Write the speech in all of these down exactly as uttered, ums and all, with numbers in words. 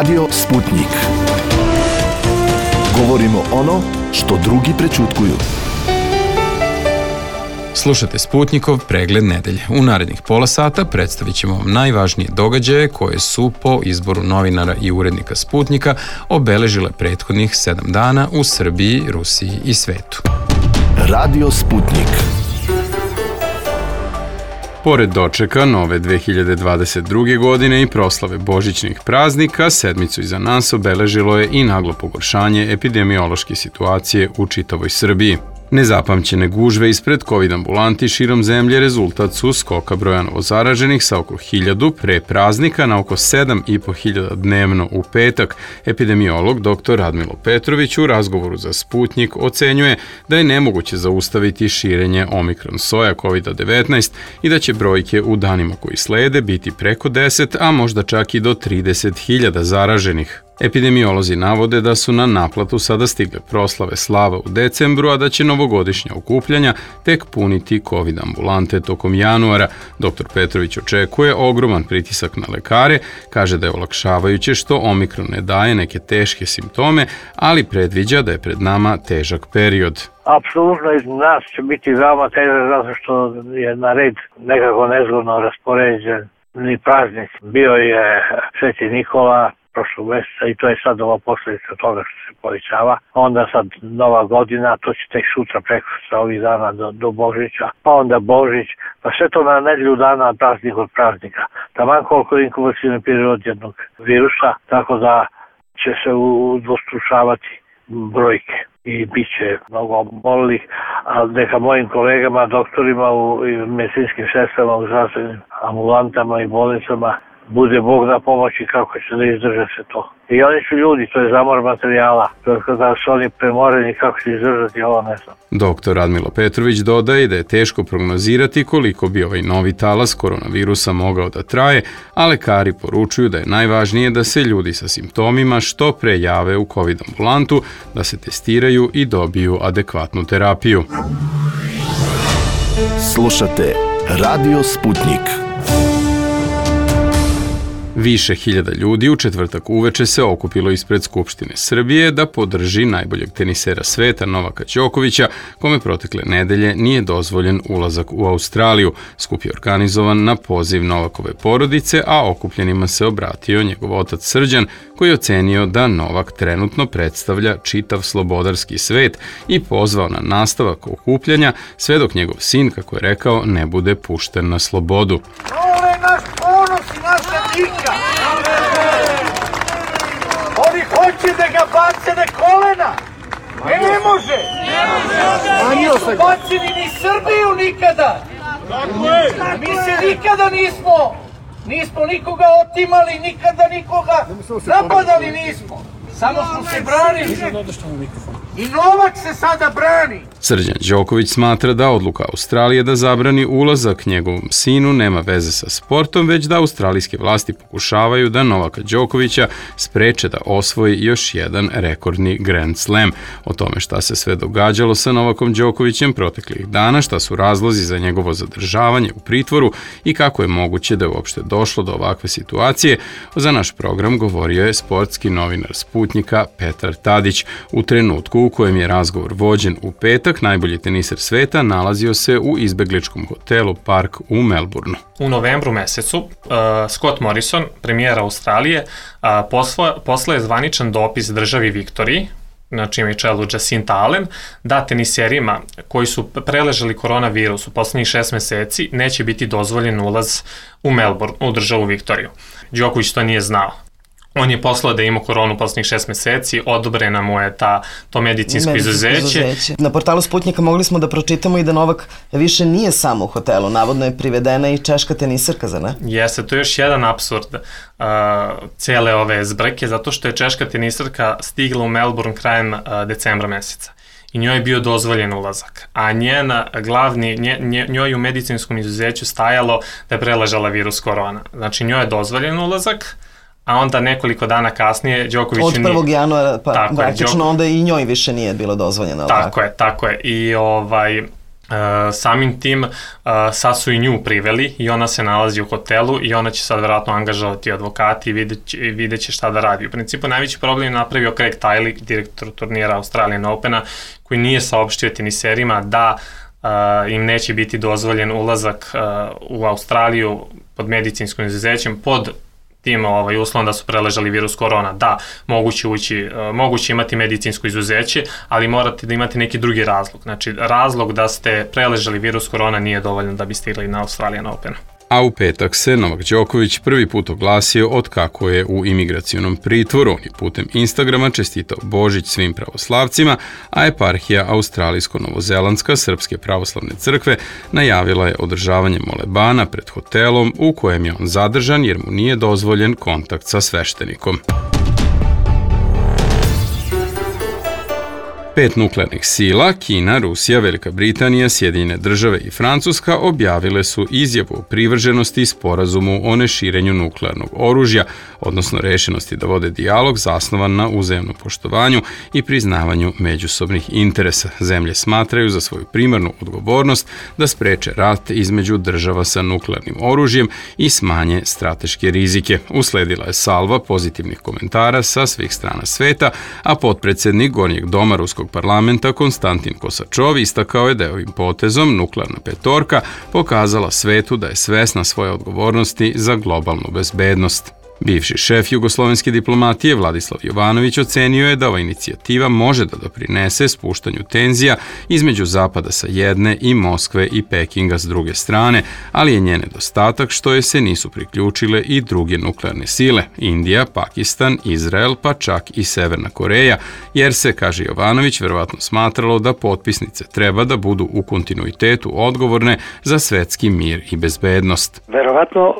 Radio Sputnik. Govorimo ono što drugi prećutkuju. Slušate Sputnikov pregled nedelje. U narednih pola sata predstavit ćemo vam najvažnije događaje koje su po izboru novinara i urednika Sputnika obeležile prethodnih sedam dana u Srbiji, Rusiji i svetu. Radio Sputnik. Pored dočeka nove dve hiljade dvadeset druge. godine i proslave božićnih praznika, sedmicu iza nas obeležilo je i naglo pogoršanje epidemiološke situacije u čitavoj Srbiji. Nezapamćene gužve ispred COVID ambulanti širom zemlje rezultat su skoka broja novozaraženih sa oko hiljadu pre praznika na oko sedam i po hiljada dnevno u petak. Epidemiolog doktor Radmilo Petrović u razgovoru za Sputnik ocenjuje da je nemoguće zaustaviti širenje omikron soja kovid devetnaest i da će brojke u danima koji slede biti preko deset, a možda čak i do trideset hiljada zaraženih. Epidemiolozi navode da su na naplatu sada stigle proslave slava u decembru, a da će novogodišnja okupljanja tek puniti COVID ambulante tokom januara. doktor Petrović očekuje ogroman pritisak na lekare, kaže da je olakšavajuće što omikron ne daje neke teške simptome, ali predviđa da je pred nama težak period. Apsolutno iz nas će biti veoma težak zato što je na red nekako nezgodno raspoređen ni praznik. Bio je Sveti Nikola prošlog meseca i to je sad ova posljedica toga što se povećava. Onda sad nova godina, to će tek sutra preko sa ovih dana do, do Božića, pa onda Božić, pa sve to na nedelju dana praznik od praznika. Taman koliko je inkubacijni period jednog virusa, tako da će se udvostručavati brojke i bit će mnogo obolelih, a neka mojim kolegama, doktorima u medicinskim sestrama, u zdravstvenim ambulantama i bolnicama bude Bog na pomoći kako će da izdrže se to. I oni su ljudi, to je zamor materijala. Kada su oni premoreni, kako će izdržati, ovo ne znam. doktor Radmilo Petrović dodaje da je teško prognozirati koliko bi ovaj novi talas koronavirusa mogao da traje, a lekari poručuju da je najvažnije da se ljudi sa simptomima što pre jave u COVID ambulantu, da se testiraju i dobiju adekvatnu terapiju. Slušate Radio Sputnik. Više hiljada ljudi u četvrtak uveče se okupilo ispred Skupštine Srbije da podrži najboljeg tenisera sveta Novaka Đokovića, kome protekle nedelje nije dozvoljen ulazak u Australiju. Skup je organizovan na poziv Novakove porodice, a okupljenima se obratio njegov otac Srđan, koji je ocenio da Novak trenutno predstavlja čitav slobodarski svet i pozvao na nastavak okupljanja sve dok njegov sin, kako je rekao, ne bude pušten na slobodu. Ovo je naš ponos i naša dika. Oni hoće da ga bace na kolena. E, ne može. Nisu bacili ni Srbiju nikada. Mi se nikada nismo, nismo nikoga otimali, nikada nikoga napadali nismo. Samo smo se branili. I Novak se sada brani. Srđan Đoković smatra da odluka Australije da zabrani ulazak njegovom sinu nema veze sa sportom, već da australijske vlasti pokušavaju da Novaka Đokovića spreče da osvoji još jedan rekordni Grand Slam. O tome šta se sve događalo sa Novakom Đokovićem proteklih dana, šta su razlozi za njegovo zadržavanje u pritvoru i kako je moguće da je uopšte došlo do ovakve situacije, za naš program govorio je sportski novinar Sputnika Petar Tadić. U trenutku u kojem je razgovor vođen u petak, najbolji teniser sveta nalazio se u izbegličkom hotelu Park u Melbourneu. U novembru mesecu uh, Scott Morrison, premijer Australije, uh, posla, posla je zvaničan dopis državi Viktoriji, na čijem je čelu Jacinta Allen, da teniserima koji su preležali koronavirus u poslednjih šest meseci neće biti dozvoljen ulaz u Melbourne, u državu Viktoriju. Đoković to nije znao. On je poslao da ima koronu poslednjih šest meseci, odobrena mu je ta, to medicinsko izuzeće. izuzeće. Na portalu Sputnika mogli smo da pročitamo i da Novak više nije samo u hotelu. Navodno je privedena i češka teniserka, zar ne? Jeste, to je još jedan apsurd uh, cele ove zbrke, zato što je češka teniserka stigla u Melbourne krajem uh, decembra meseca. I njoj je bio dozvoljen ulazak, a njena glavni, nje, nje, njoj u medicinskom izuzeću stajalo da je preležala virus korona. Znači njoj je dozvoljen ulazak, a onda nekoliko dana kasnije Đokoviću od prvog januara, pa tako praktično Đok... onda i njoj više nije bilo dozvoljeno. Tako, tako je, tako je. I ovaj, samim tim sad su i nju priveli i ona se nalazi u hotelu i ona će sad vjerojatno angažovati advokati i vidjet će, vidjet će šta da radi. U principu najveći problem je napravio Craig Tiley, direktor turnira Australian Opena, koji nije saopštio teniserima da Uh, im neće biti dozvoljen ulazak uh, u Australiju pod medicinskim izuzećem pod tim ovaj, uslovom da su preležali virus korona. Da, moguće, ući, uh, moguće imati medicinsko izuzeće, ali morate da imate neki drugi razlog. Znači, razlog da ste preležali virus korona nije dovoljno da bi stigli na Australian Open. A u petak se Novak Đoković prvi put oglasio od kako je u imigracionom pritvoru. On je putem Instagrama čestitao Božić svim pravoslavcima, a eparhija Australijsko-Novozelandska Srpske pravoslavne crkve najavila je održavanje molebana pred hotelom u kojem je on zadržan jer mu nije dozvoljen kontakt sa sveštenikom. Pet nuklearnih sila, Kina, Rusija, Velika Britanija, Sjedinjene države i Francuska objavile su izjavu o privrženosti sporazumu o neširenju nuklearnog oružja, odnosno rešenosti da vode dijalog zasnovan na uzajamnom poštovanju i priznavanju međusobnih interesa. Zemlje smatraju za svoju primarnu odgovornost da spreče rat između država sa nuklearnim oružjem i smanje strateške rizike. Usledila je salva pozitivnih komentara sa svih strana sveta, a potpredsednik Gornjeg doma Ruskog parlamenta Konstantin Kosačov istakao je da je ovim potezom nuklearna petorka pokazala svetu da je svesna svoje odgovornosti za globalnu bezbednost. Bivši šef jugoslovenske diplomatije Vladislav Jovanović ocenio je da ova inicijativa može da doprinese spuštanju tenzija između Zapada sa jedne i Moskve i Pekinga s druge strane, ali je njen nedostatak što je se nisu priključile i druge nuklearne sile, Indija, Pakistan, Izrael, pa čak i Severna Koreja, jer se, kaže Jovanović, verovatno smatralo da potpisnice treba da budu u kontinuitetu odgovorne za svetski mir i bezbednost. Verovatno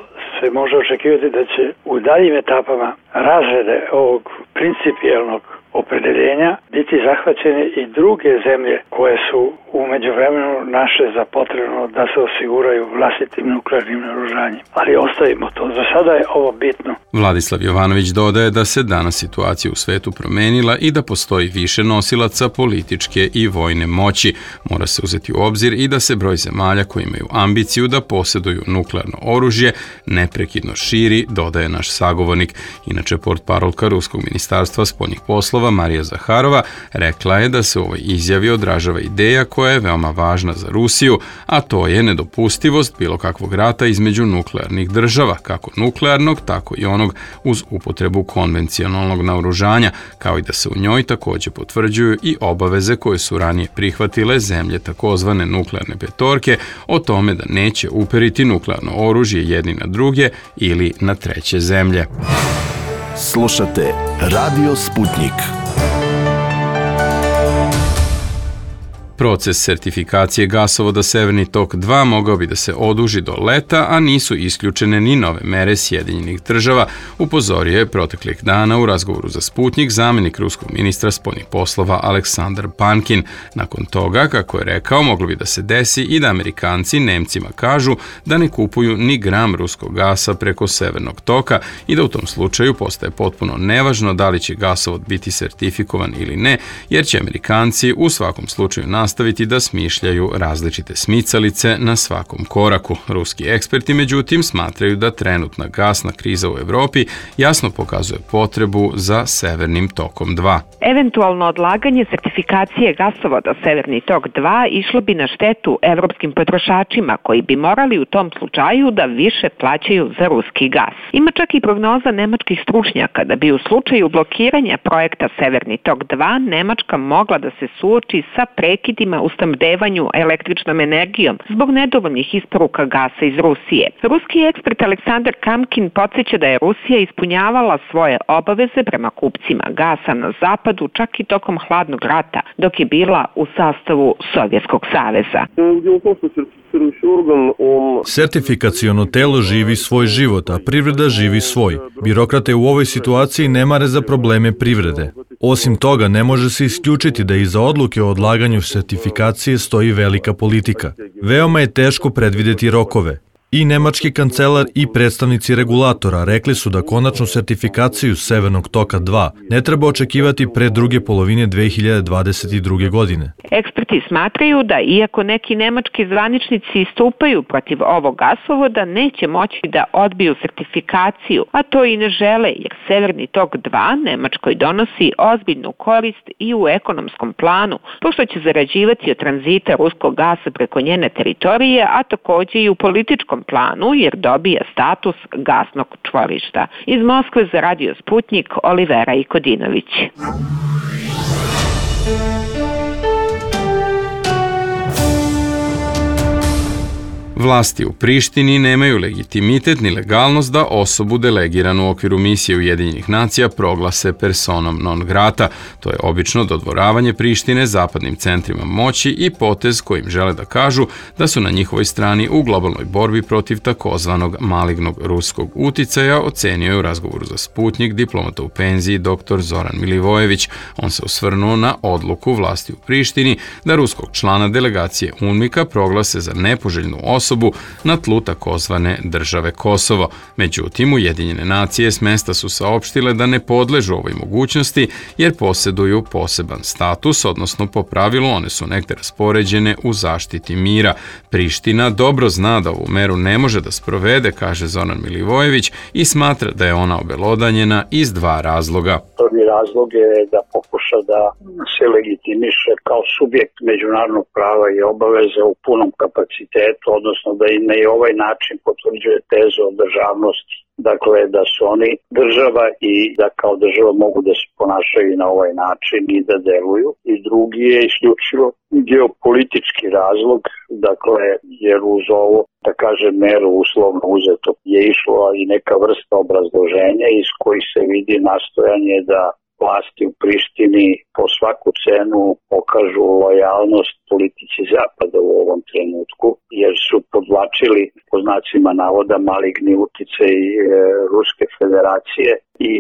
se može očekivati da će u daljim etapama razrede ovog principijelnog opredeljenja biti zahvaćene i druge zemlje koje su u međuvremenu naše za potrebno da se osiguraju vlastitim nuklearnim naoružanjem. Ali ostavimo to. Za sada je ovo bitno. Vladislav Jovanović dodaje da se danas situacija u svetu promenila i da postoji više nosilaca političke i vojne moći. Mora se uzeti u obzir i da se broj zemalja koji imaju ambiciju da posjeduju nuklearno oružje neprekidno širi, dodaje naš sagovornik. Inače, portparolka Ruskog ministarstva spoljnih poslova Marija Zaharova rekla je da se u ovoj izjavi odražava ideja koja je veoma važna za Rusiju, a to je nedopustivost bilo kakvog rata između nuklearnih država, kako nuklearnog, tako i onog uz upotrebu konvencionalnog naoružanja, kao i da se u njoj također potvrđuju i obaveze koje su ranije prihvatile zemlje takozvane nuklearne petorke o tome da neće uperiti nuklearno oružje jedni na druge ili na treće zemlje. Slušate Radio Sputnik. Proces sertifikacije gasovoda Severni tok dva mogao bi da se oduži do leta, a nisu isključene ni nove mere Sjedinjenih država, upozorio je proteklih dana u razgovoru za Sputnik zamenik ruskog ministra spoljnih poslova Aleksandar Pankin. Nakon toga, kako je rekao, moglo bi da se desi i da Amerikanci Nemcima kažu da ne kupuju ni gram ruskog gasa preko Severnog toka i da u tom slučaju postaje potpuno nevažno da li će gasovod biti sertifikovan ili ne, jer će Amerikanci u svakom slučaju nastaviti nastaviti da smišljaju različite smicalice na svakom koraku. Ruski eksperti, međutim, smatraju da trenutna gasna kriza u Evropi jasno pokazuje potrebu za Severnim tokom dva. Eventualno odlaganje sertifikacije gasovoda Severni tok dva išlo bi na štetu evropskim potrošačima koji bi morali u tom slučaju da više plaćaju za ruski gas. Ima čak i prognoza nemačkih stručnjaka da bi u slučaju blokiranja projekta Severni tok dva Nemačka mogla da se suoči sa prekidima u snabdevanju električnom energijom zbog nedovoljnih isporuka gasa iz Rusije. Ruski ekspert Aleksandar Kamkin podsjeća da je Rusija ispunjavala svoje obaveze prema kupcima gasa na zapadu čak i tokom hladnog rata, dok je bila u sastavu Sovjetskog saveza. Sertifikaciono telo živi svoj život, a privreda živi svoj. Birokrate u ovoj situaciji ne mare za probleme privrede. Osim toga, ne može se isključiti da iza odluke o odlaganju sertifikacije stoji velika politika. Veoma je teško predvideti rokove. I nemački kancelar i predstavnici regulatora rekli su da konačnu sertifikaciju Severnog toka dva ne treba očekivati pre druge polovine dve hiljade dvadeset druge. godine. Eksperti smatraju da iako neki nemački zvaničnici istupaju protiv ovog gasovoda, neće moći da odbiju sertifikaciju, a to i ne žele, jer Severni tok dva Nemačkoj donosi ozbiljnu korist i u ekonomskom planu, pošto će zarađivati od tranzita ruskog gasa preko njene teritorije, a takođe i u političkom planu, jer dobija status gasnog čvorišta. Iz Moskve za Radio Sputnik, Olivera Ikodinović. Vlasti u Prištini nemaju legitimitet ni legalnost da osobu delegiranu u okviru misije Ujedinjenih nacija proglase personom non grata. To je obično dodvoravanje Prištine zapadnim centrima moći i potez kojim žele da kažu da su na njihovoj strani u globalnoj borbi protiv takozvanog malignog ruskog uticaja, ocenio je u razgovoru za Sputnik diplomata u penziji dr. Zoran Milivojević. On se osvrnuo na odluku vlasti u Prištini da ruskog člana delegacije UNMIK-a proglase za nepoželjnu osobu na tlu takozvane države Kosovo. Međutim, Ujedinjene nacije s mesta su saopštile da ne podležu ovoj mogućnosti jer posjeduju poseban status, odnosno po pravilu one su negde raspoređene u zaštiti mira. Priština dobro zna da ovu meru ne može da sprovede, kaže Zoran Milivojević, i smatra da je ona obelodanjena iz dva razloga. Prvi razlog je da pokuša da se legitimiše kao subjekt međunarodnog prava i obaveze u punom kapacitetu, odnosno da i na ovaj način potvrđuje tezu o državnosti. Dakle, da su oni država i da kao država mogu da se ponašaju na ovaj način i da deluju. I drugi je isključivo geopolitički razlog, dakle, jer uz ovo, da kažem, meru uslovno uzeto je išlo i neka vrsta obrazloženja iz kojih se vidi nastojanje da vlasti u Prištini po svaku cenu pokažu lojalnost politici Zapada u ovom trenutku, jer su podvlačili po znacima navoda maligni uticaj e, Ruske federacije i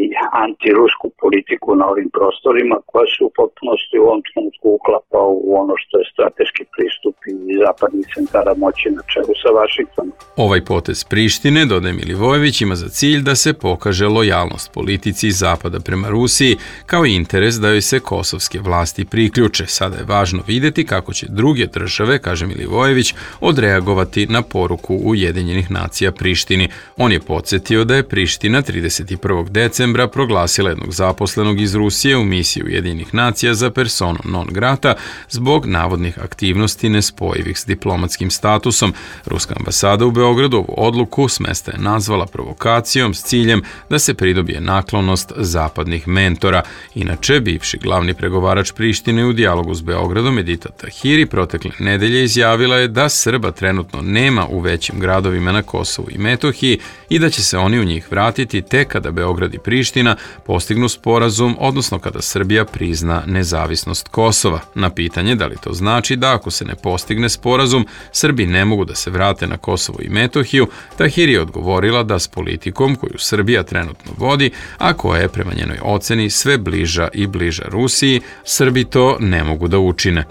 antirusku politiku na ovim prostorima koja se u potpunosti u ovom trenutku uklapa u ono što je strateški pristup i zapadnih centara moći na čelu sa Vašingtonom. Ovaj potez Prištine, dodaje Milivojević, ima za cilj da se pokaže lojalnost politici Zapada prema Rusiji kao interes da joj se kosovske vlasti priključe. Sada je važno videti kako će druge države, kaže Milivojević, odreagovati na poruku Ujedinjenih nacija Prištini. On je podsjetio da je Priština trideset prvog decembra proglasila jednog zaposlenog iz Rusije u misiji Ujedinjenih nacija za personom non grata zbog navodnih aktivnosti nespojivih s diplomatskim statusom. Ruska ambasada u Beogradu ovu odluku s mesta je nazvala provokacijom s ciljem da se pridobije naklonost zapadnih mentora. Inače, bivši glavni pregovarač Prištine u dijalogu s Beogradom Edita Tahiri protekle nedelje izjavila je da Srba trenutno nema u većim gradovima na Kosovu i Metohiji i da će se oni u njih vratiti tek kada Beograd i Priština postignu sporazum, odnosno kada Srbija prizna nezavisnost Kosova. Na pitanje da li to znači da ako se ne postigne sporazum, Srbi ne mogu da se vrate na Kosovo i Metohiju, Tahiri je odgovorila da s politikom koju Srbija trenutno vodi, a koja je prema njenoj oceni sve bliža i bliža Rusiji, Srbi to ne mogu da učine.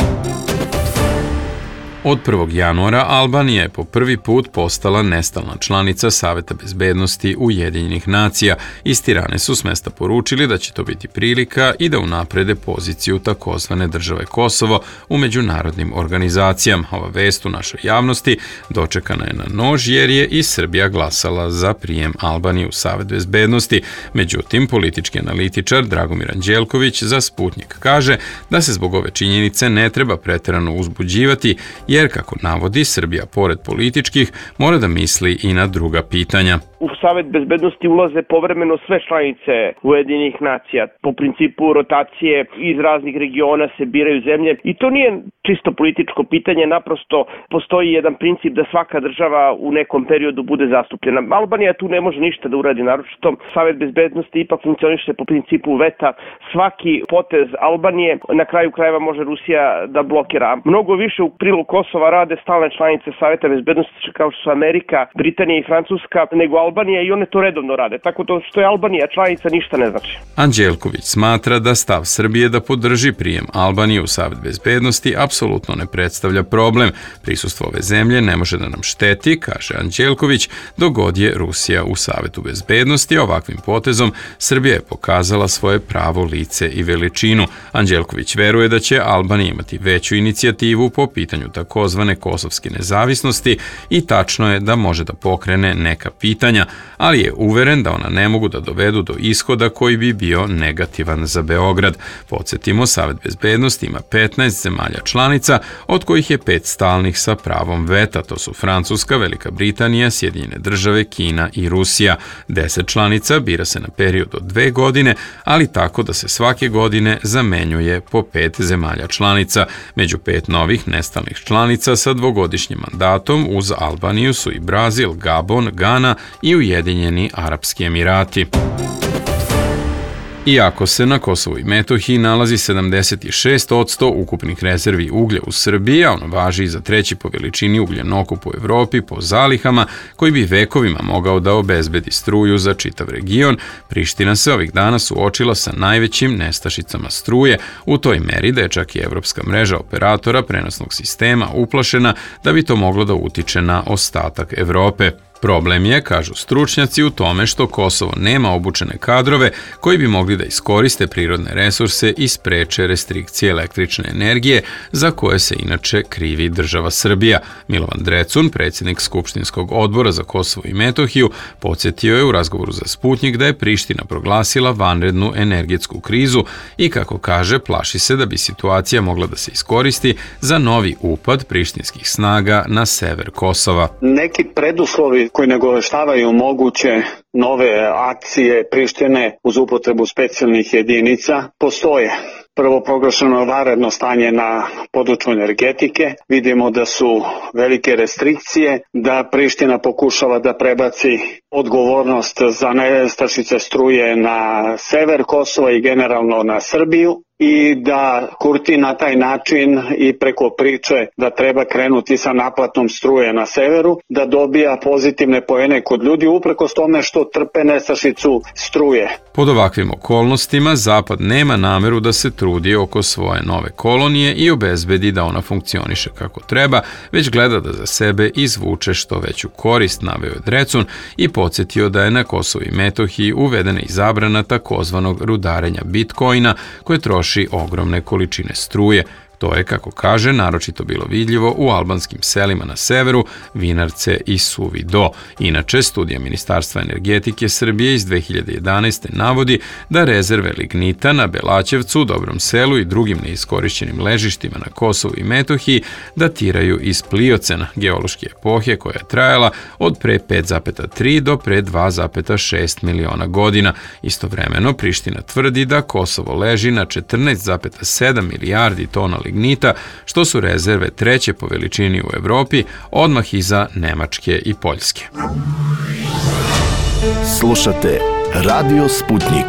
Od prvog januara Albanija je po prvi put postala nestalna članica Saveta bezbednosti Ujedinjenih nacija. Iz Tirane su s mesta poručili da će to biti prilika i da unaprede poziciju takozvane države Kosovo u međunarodnim organizacijama. Ova vest u našoj javnosti dočekana je na nož jer je i Srbija glasala za prijem Albanije u Savet bezbednosti. Međutim, politički analitičar Dragomir Anđelković za Sputnik kaže da se zbog ove činjenice ne treba preterano uzbuđivati, jer, kako navodi, Srbija, pored političkih, mora da misli i na druga pitanja. U Savet bezbednosti ulaze povremeno sve članice Ujedinjenih nacija. Po principu rotacije iz raznih regiona se biraju zemlje i to nije čisto političko pitanje, naprosto postoji jedan princip da svaka država u nekom periodu bude zastupljena. Albanija tu ne može ništa da uradi, naročito Savet bezbednosti ipak funkcioniše po principu veta. Svaki potez Albanije na kraju krajeva može Rusija da blokira. Mnogo više u prilog Kosova rade stalne članice Saveta bezbednosti kao što su Amerika, Britanija i Francuska nego Albanija Albanija i one to redovno rade. Tako to što je Albanija članica ništa ne znači. Anđelković smatra da stav Srbije da podrži prijem Albanije u Savet bezbednosti apsolutno ne predstavlja problem. Prisustvo ove zemlje ne može da nam šteti, kaže Anđelković, dok god je Rusija u Savetu bezbednosti. Ovakvim potezom Srbija je pokazala svoje pravo lice i veličinu. Anđelković veruje da će Albanija imati veću inicijativu po pitanju takozvane kosovske nezavisnosti i tačno je da može da pokrene neka pitanja, ali je uveren da ona ne mogu da dovedu do ishoda koji bi bio negativan za Beograd. Podsjetimo, Savet bezbednosti ima petnaest zemalja članica, od kojih je pet stalnih sa pravom veta. To su Francuska, Velika Britanija, Sjedinjene države, Kina i Rusija. Deset članica bira se na period od dve godine, ali tako da se svake godine zamenjuje po pet zemalja članica. Među pet novih nestalnih članica sa dvogodišnjim mandatom uz Albaniju su i Brazil, Gabon, Gana i Ujedinjeni Arapski Emirati. Iako se na Kosovu i Metohiji nalazi sedamdeset šest posto ukupnih rezervi uglja u Srbiji, a ono važi i za treći po veličini ugljenokop u Evropi po zalihama, koji bi vekovima mogao da obezbedi struju za čitav region, Priština se ovih dana suočila sa najvećim nestašicama struje, u toj meri da je čak i evropska mreža operatora prenosnog sistema uplašena da bi to moglo da utiče na ostatak Evrope. Problem je, kažu stručnjaci, u tome što Kosovo nema obučene kadrove koji bi mogli da iskoriste prirodne resurse i spreče restrikcije električne energije za koje se inače krivi država Srbija. Milovan Drecun, predsjednik Skupštinskog odbora za Kosovo i Metohiju, podsjetio je u razgovoru za Sputnjik da je Priština proglasila vanrednu energetsku krizu i, kako kaže, plaši se da bi situacija mogla da se iskoristi za novi upad prištinskih snaga na sever Kosova. Neki preduslovi koji nagoveštavaju moguće nove akcije Prištine uz upotrebu specijalnih jedinica postoje. Prvo, proglašeno vanredno stanje na području energetike. Vidimo da su velike restrikcije, da Priština pokušava da prebaci odgovornost za nestašice struje na sever Kosova i generalno na Srbiju, i da Kurti na taj način i preko priče da treba krenuti sa naplatom struje na severu, da dobija pozitivne poene kod ljudi uprkos tome što trpe nestašicu struje. Pod ovakvim okolnostima Zapad nema nameru da se trudi oko svoje nove kolonije i obezbedi da ona funkcioniše kako treba, već gleda da za sebe izvuče što veću korist, naveo je Drecun i podsjetio da je na Kosovu i Metohiji uvedena i zabrana takozvanog rudarenja bitcoina koje troši ogromne količine struje. To je, kako kaže, naročito bilo vidljivo u albanskim selima na severu, Vinarce i Suvi Do. Inače, studija Ministarstva energetike Srbije iz dve hiljade jedanaeste. navodi da rezerve lignita na Belaćevcu, Dobrom selu i drugim neiskorišćenim ležištima na Kosovu i Metohiji datiraju iz Pliocena, geološke epohe koja je trajala od pre pet zarez tri do pre dva zarez šest miliona godina. Istovremeno, Priština tvrdi da Kosovo leži na četrnaest zarez sedam milijardi tona lignita, što su rezerve treće po veličini u Evropi, odmah iza Nemačke i Poljske. Slušate Radio Sputnik.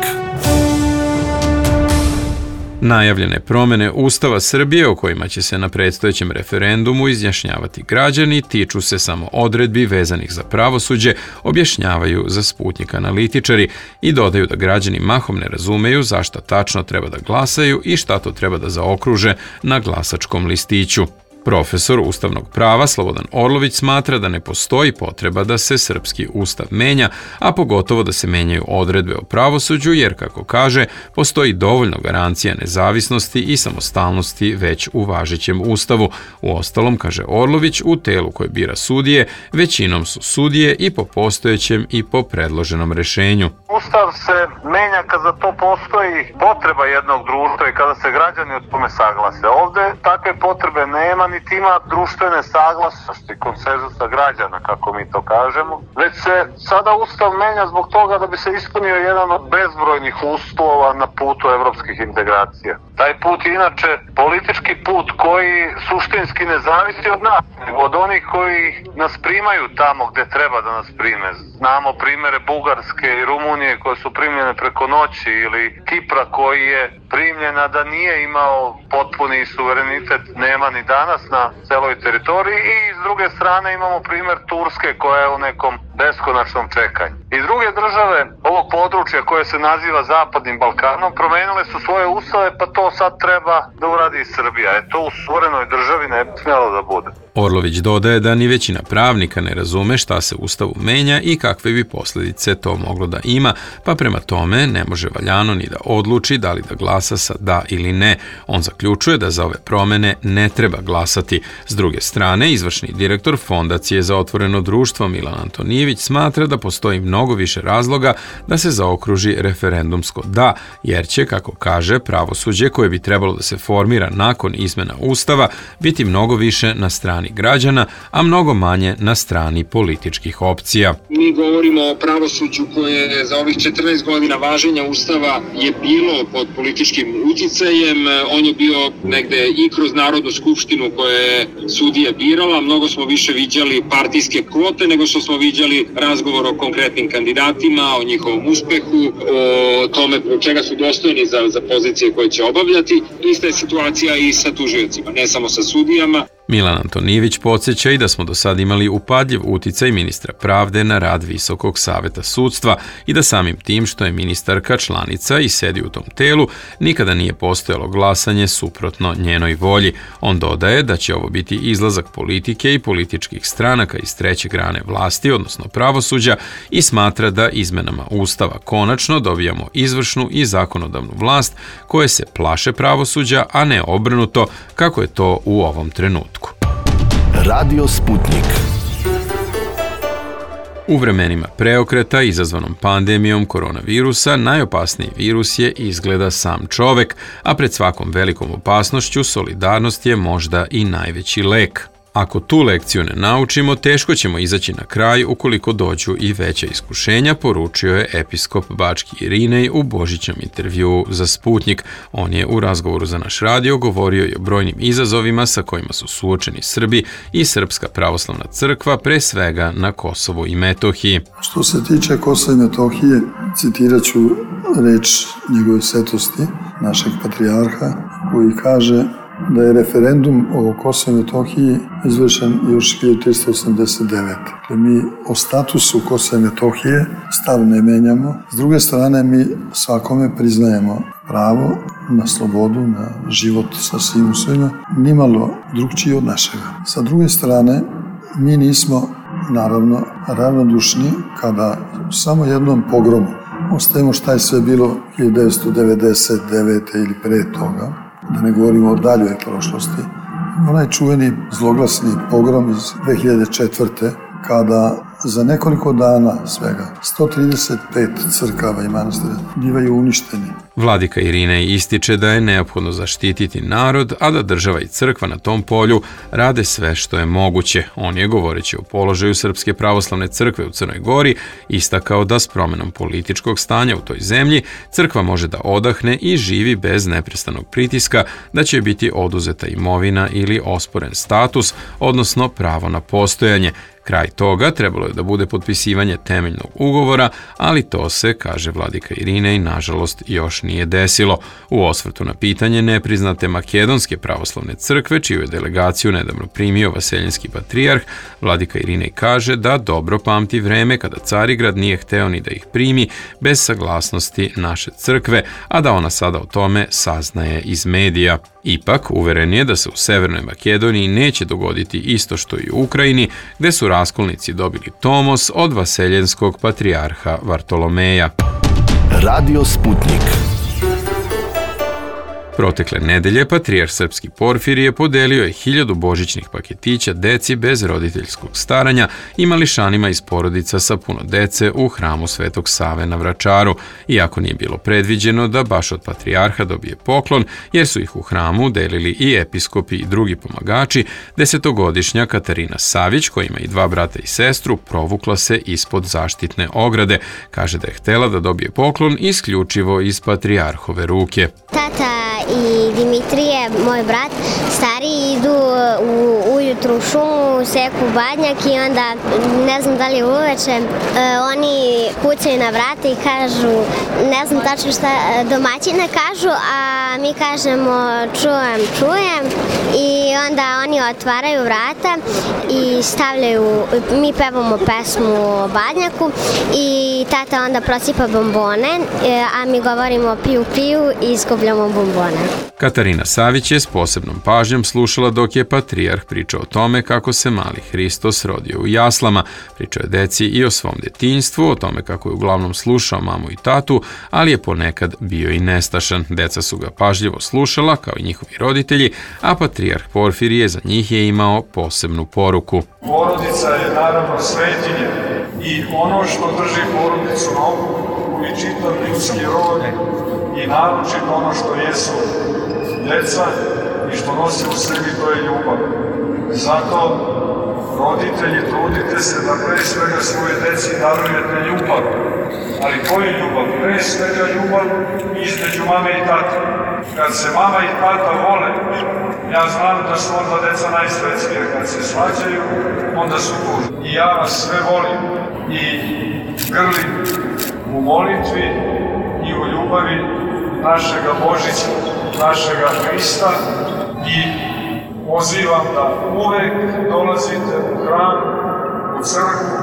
Najavljene promene Ustava Srbije o kojima će se na predstojećem referendumu izjašnjavati građani tiču se samo odredbi vezanih za pravosuđe, objašnjavaju za Sputnjik analitičari i dodaju da građani mahom ne razumeju zašto tačno treba da glasaju i šta to treba da zaokruže na glasačkom listiću. Profesor ustavnog prava Slobodan Orlović smatra da ne postoji potreba da se srpski ustav menja, a pogotovo da se menjaju odredbe o pravosuđu, jer, kako kaže, postoji dovoljno garancija nezavisnosti i samostalnosti već u važećem ustavu. Uostalom, kaže Orlović, u telu koje bira sudije, većinom su sudije i po postojećem i po predloženom rešenju. Ustav se menja kad za to postoji potreba jednog društva i kada se građani o tome saglase. Ovde takve potrebe nema, niti ima društvene saglasnosti, konsenzusa građana, kako mi to kažemo, već se sada Ustav menja zbog toga da bi se ispunio jedan od bezbrojnih uslova na putu evropskih integracija. Taj put je inače politički put koji suštinski ne zavisi od nas, nego od onih koji nas primaju tamo gde treba da nas prime. Znamo primere Bugarske i Rumunije koje su primljene preko noći, ili Kipra koji je primljena da nije imao potpuni suverenitet, nema ni danas, danas na celoj teritoriji, i s druge strane imamo primer Turske koja je u nekom beskonačnom čekanju. I druge države ovog područja koje se naziva Zapadnim Balkanom promenile su svoje ustave, pa to sad treba da uradi i Srbija. E to u suverenoj državi ne bi smjelo da bude. Orlović dodaje da ni većina pravnika ne razume šta se Ustavu menja i kakve bi posljedice to moglo da ima, pa prema tome ne može valjano ni da odluči da li da glasa sa da ili ne. On zaključuje da za ove promene ne treba glasati. S druge strane, izvršni direktor Fondacije za otvoreno društvo Milan Antonijević smatra da postoji mnogo više razloga da se zaokruži referendumsko da, jer će, kako kaže, pravosuđe koje bi trebalo da se formira nakon izmena Ustava biti mnogo više na strani građana, a mnogo manje na strani političkih opcija. Mi govorimo o pravosuđu koje za ovih četrnaest godina važenja Ustava je bilo pod političkim uticajem. On je bio negde i kroz Narodnu skupštinu koja je sudije birala. Mnogo smo više viđali partijske kvote nego što smo viđali razgovor o konkretnim kandidatima, o njihovom uspehu, o tome čega su dostojni za, za pozicije koje će obavljati. Ista je situacija i sa tužiocima, ne samo sa sudijama. Milan Antonijević podsjeća i da smo do sad imali upadljiv uticaj ministra pravde na rad Visokog saveta sudstva i da samim tim što je ministarka članica i sedi u tom telu, nikada nije postojalo glasanje suprotno njenoj volji. On dodaje da će ovo biti izlazak politike i političkih stranaka iz treće grane vlasti, odnosno pravosuđa, i smatra da izmenama Ustava konačno dobijamo izvršnu i zakonodavnu vlast koje se plaše pravosuđa, a ne obrnuto kako je to u ovom trenutku. Radio Sputnik. U vremenima preokreta izazvanom pandemijom koronavirusa najopasniji virus je izgleda sam čovek, a pred svakom velikom opasnošću solidarnost je možda i najveći lek. Ako tu lekciju ne naučimo, teško ćemo izaći na kraj ukoliko dođu i veća iskušenja, poručio je episkop Bački Irinej u božićnom intervjuu za Sputnik. On je u razgovoru za naš radio govorio i o brojnim izazovima sa kojima su suočeni Srbi i Srpska pravoslavna crkva, pre svega na Kosovu i Metohiji. Što se tiče Kosova i Metohije, citirat ću reč njegove svetosti, našeg patrijarha, koji kaže da je referendum o Kosovu i Metohiji izvršen još hiljadu trista osamdeset devete. Mi o statusu Kosova i Metohije stav ne menjamo. S druge strane, mi svakome priznajemo pravo na slobodu, na život sa svim usvojima, nimalo drugčiji od našega. Sa druge strane, mi nismo, naravno, ravnodušni kada samo jednom pogromu ostavimo šta je sve bilo hiljadu devetsto devedeset devete ili pre toga, da ne govorimo o daljoj prošlosti. Onaj čuveni zloglasni pogrom iz dve hiljade četvrte kada za nekoliko dana svega sto trideset pet crkava i manastira bivaju uništeni. Vladika Irinej ističe da je neophodno zaštititi narod, a da država i crkva na tom polju rade sve što je moguće. On je, govoreći o položaju Srpske pravoslavne crkve u Crnoj Gori, istakao da s promenom političkog stanja u toj zemlji crkva može da odahne i živi bez neprestanog pritiska da će biti oduzeta imovina ili osporen status, odnosno pravo na postojanje. Kraj toga trebalo je da bude potpisivanje temeljnog ugovora, ali to se, kaže vladika Irinej, nažalost još nije desilo. U osvrtu na pitanje nepriznate Makedonske pravoslavne crkve, čiju je delegaciju nedavno primio vaseljenski patrijarh, vladika Irinej kaže da dobro pamti vreme kada Carigrad nije hteo ni da ih primi bez saglasnosti naše crkve, a da ona sada o tome saznaje iz medija. Ipak, uveren je da se u Severnoj Makedoniji neće dogoditi isto što i u Ukrajini, gde su raskolnici dobili tomos od vaseljenskog patrijarha Vartolomeja. Radio Sputnik. Protekle nedelje patrijarh srpski Porfirije podelio je hiljadu božićnih paketića deci bez roditeljskog staranja i mališanima iz porodica sa puno dece u hramu Svetog Save na Vračaru, iako nije bilo predviđeno da baš od patrijarha dobije poklon, jer su ih u hramu delili i episkopi i drugi pomagači. Desetogodišnja Katarina Savić, koja ima i dva brata i sestru, provukla se ispod zaštitne ograde. Kaže da je htela da dobije poklon isključivo iz patrijarhove ruke. Tata i Dimitrije, moj brat, stariji, idu u, ujutru jutru u šumu, seku badnjak i onda, ne znam da li je uveče, e, oni kucaju na vrata i kažu, ne znam tačno šta domaćine kažu, a mi kažemo čujem, čujem i onda oni otvaraju vrata i stavljaju, mi pevamo pesmu o badnjaku i tata onda prosipa bombone, a mi govorimo piju, piju i skupljamo bombone. Katarina Savić je s posebnom pažnjom slušala dok je patrijarh pričao o tome kako se mali Hristos rodio u jaslama, pričao je deci i o svom detinjstvu, o tome kako je uglavnom slušao mamu i tatu, ali je ponekad bio i nestašan. Deca su ga pažljivo slušala, kao i njihovi roditelji, a patrijarh Porfirije za njih je imao posebnu poruku. Porodica je naravno svetinje i ono što drži porodicu na okupu i čitav ljudski rod i naročito ono što jesu deca i što nosi u sebi, to je ljubav. Zato, roditelji, trudite se da pre svega svoje deci darujete ljubav. Ali koju ljubav? Pre svega ljubav između mame i tate. Kad se mama i tata vole, ja znam da su onda deca najsvetskije. Kad se svađaju, onda su tužni. I ja vas sve volim i grlim u molitvi i u ljubavi našega Božića, našega Hrista i pozivam da uvek dolazite u hram, u crkvu,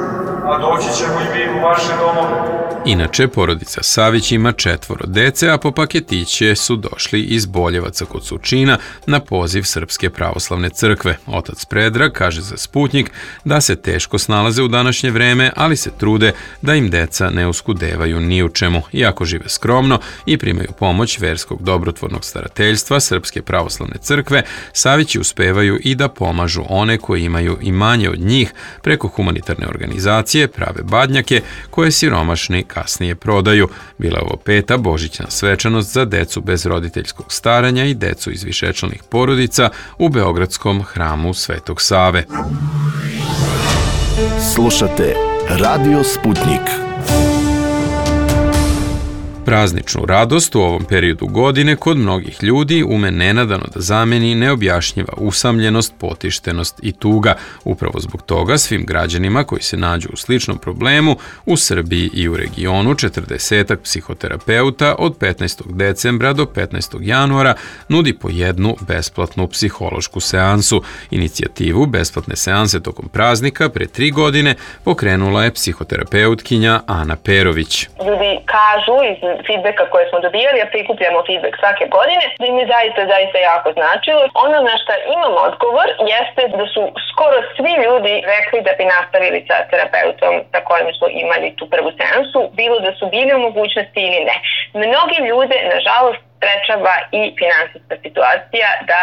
a doći ćemo i mi u vaše domove. Inače, porodica Savić ima četvoro dece, a po paketiće su došli iz Boljevaca kod Surčina na poziv Srpske pravoslavne crkve. Otac Predrag kaže za Sputnjik da se teško snalaze u današnje vreme, ali se trude da im deca ne uskudevaju ni u čemu. Iako žive skromno i primaju pomoć verskog dobrotvornog starateljstva Srpske pravoslavne crkve, Savići uspevaju i da pomažu one koji imaju i manje od njih preko humanitarne organizacije, prave badnjake koje siromašni kasnije prodaju. Bila je ovo peta božićna svečanost za decu bez roditeljskog staranja i decu iz višečlanih porodica u Beogradskom hramu Svetog Save. Slušate Radio Sputnik. Prazničnu radost u ovom periodu godine kod mnogih ljudi ume nenadano da zameni neobjašnjiva usamljenost, potištenost i tuga. Upravo zbog toga svim građanima koji se nađu u sličnom problemu u Srbiji i u regionu četrdesetak psihoterapeuta od petnaestog decembra do petnaestog januara nudi po jednu besplatnu psihološku seansu. Inicijativu besplatne seanse tokom praznika pre tri godine pokrenula je psihoterapeutkinja Ana Perović. Ljudi kažu iz feedbacka koje smo dobijali, a prikupljamo feedback svake godine, da im je zaista, zaista jako značilo. Ono na što imam odgovor jeste da su skoro svi ljudi rekli da bi nastavili sa terapeutom sa kojim su imali tu prvu seansu, bilo da su bili u mogućnosti ili ne. Mnogi ljude, nažalost, sprečava i finansijska situacija da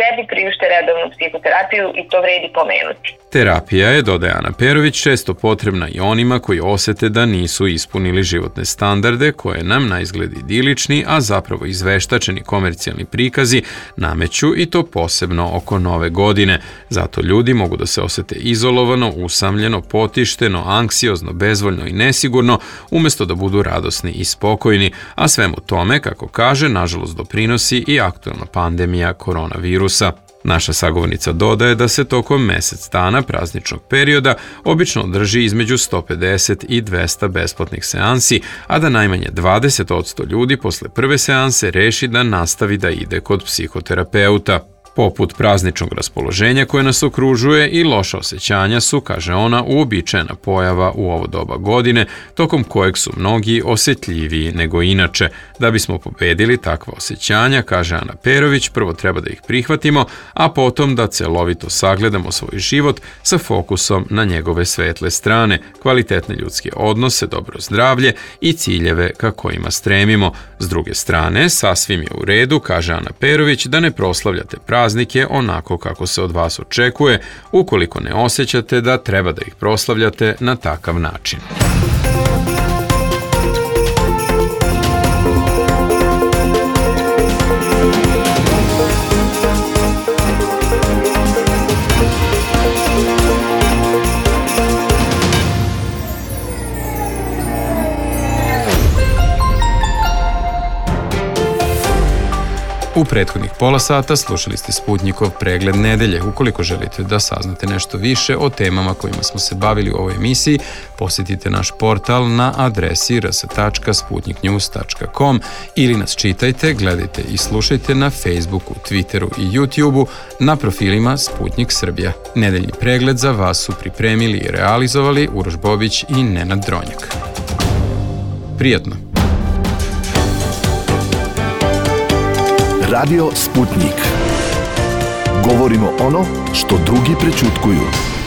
sebi priušte redovnu psihoterapiju i to vredi pomenuti. Terapija je, dodaje Ana Perović, često potrebna i onima koji osete da nisu ispunili životne standarde koje nam na izgled idilični, a zapravo izveštačeni komercijalni prikazi nameću i to posebno oko nove godine. Zato ljudi mogu da se osete izolovano, usamljeno, potišteno, anksiozno, bezvoljno i nesigurno, umesto da budu radosni i spokojni, a svemu tome, kako kaže, nažalost doprinosi i aktualna pandemija koronavirusa. Naša sagovornica dodaje da se tokom mesec dana prazničnog perioda obično održi između sto pedeset i dvesta besplatnih seansi, a da najmanje dvadeset posto ljudi posle prve seanse reši da nastavi da ide kod psihoterapeuta. Poput prazničnog raspoloženja koje nas okružuje i loša osjećanja su, kaže ona, uobičajena pojava u ovo doba godine, tokom kojeg su mnogi osjetljiviji nego inače. Da bismo pobedili takva osjećanja, kaže Ana Perović, prvo treba da ih prihvatimo, a potom da celovito sagledamo svoj život sa fokusom na njegove svetle strane, kvalitetne ljudske odnose, dobro zdravlje i ciljeve ka kojima stremimo. S druge strane, sasvim je u redu, kaže Ana Perović, da ne proslavljate praznike onako kako se od vas očekuje, ukoliko ne osjećate da treba da ih proslavljate na takav način. U prethodnih pola sata slušali ste Sputnikov pregled nedelje. Ukoliko želite da saznate nešto više o temama kojima smo se bavili u ovoj emisiji, posjetite naš portal na adresi r s tačka sputnik news tačka com ili nas čitajte, gledajte i slušajte na Facebooku, Twitteru i YouTubeu na profilima Sputnik Srbija. Nedeljni pregled za vas su pripremili i realizovali Uroš Bobić i Nenad Dronjak. Prijatno! Radio Sputnik. Govorimo ono što drugi prećutkuju.